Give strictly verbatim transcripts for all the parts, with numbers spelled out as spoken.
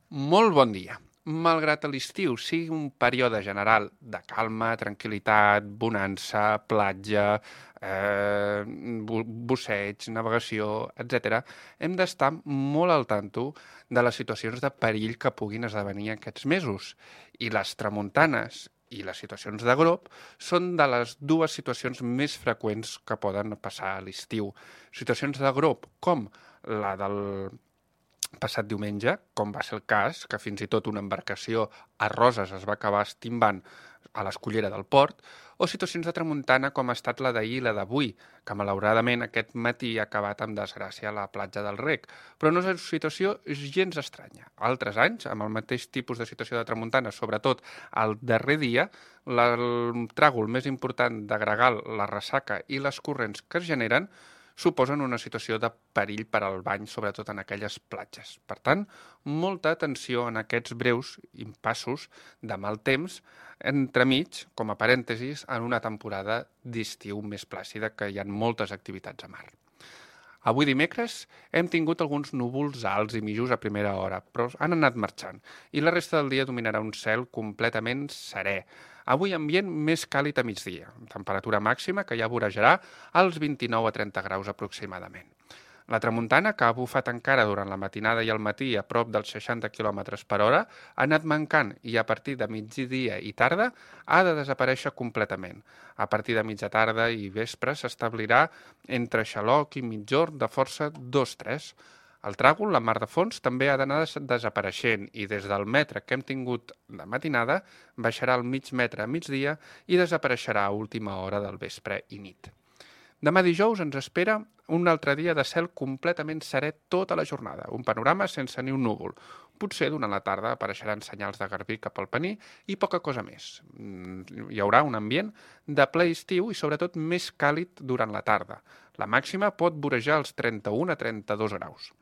Molt bon dia. Malgrat l'estiu sigui un període general de calma, tranquil·litat, bonança, platja, eh, bu- busseig, navegació, etcètera, hem d'estar molt al tanto de les situacions de perill que puguin esdevenir aquests mesos. I les tramuntanes i les situacions de grop són de les dues situacions més freqüents que poden passar a l'estiu. Situacions de grop com la del passat diumenge, com va ser el cas, que fins i tot una embarcació a Roses es va acabar estimbant a l'escullera del port, o situacions de tramuntana com ha estat la d'ahir i la d'avui, que malauradament aquest matí ha acabat amb desgràcia a la platja del Rec. Però no és una situació gens estranya. Altres anys, amb el mateix tipus de situació de tramuntana, sobretot el darrer dia, la, el tràgol més important de gregal, la ressaca i les corrents que es generen suposen una situació de perill per al bany, sobretot en aquelles platges. Per tant, molta atenció en aquests breus impassos de mal temps, entremig, com a parèntesis, en una temporada d'estiu més plàcida, que hi ha moltes activitats a mar. Avui dimecres hem tingut alguns núvols alts i mitjos a primera hora, però han anat marxant, i la resta del dia dominarà un cel completament serè. Avui ambient més càlid a migdia, temperatura màxima que ja vorejarà als vint-i-nou a trenta graus aproximadament. La tramuntana, que ha bufat encara durant la matinada i el matí a prop dels seixanta quilòmetres per hora, ha anat mancant i a partir de migdia i tarda ha de desaparèixer completament. A partir de mitja tarda i vespre s'establirà entre Xaloc i Migjorn de força dos tres. El tràgol, la mar de fons, també ha d'anar desapareixent i des del metre que hem tingut de matinada baixarà al mig metre a migdia i desapareixerà a última hora del vespre i nit. Demà dijous ens espera un altre dia de cel completament serè tota la jornada, un panorama sense ni un núvol. Potser durant la tarda apareixeran senyals de garbí cap al Pení i poca cosa més. Hi haurà un ambient de ple estiu i sobretot més càlid durant la tarda. La màxima pot vorejar els trenta-un a trenta-dos graus.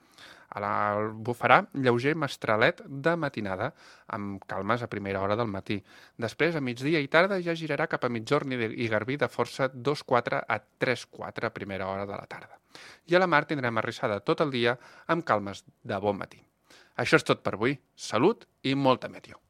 A la bufarà lleuger mestralet de matinada, amb calmes a primera hora del matí. Després, a migdia i tarda, ja girarà cap a migjorn i garbí de força dos quatre a tres quatre a primera hora de la tarda. I a la mar tindrem arrissada tot el dia amb calmes de bon matí. Això és tot per avui. Salut i molta meteo.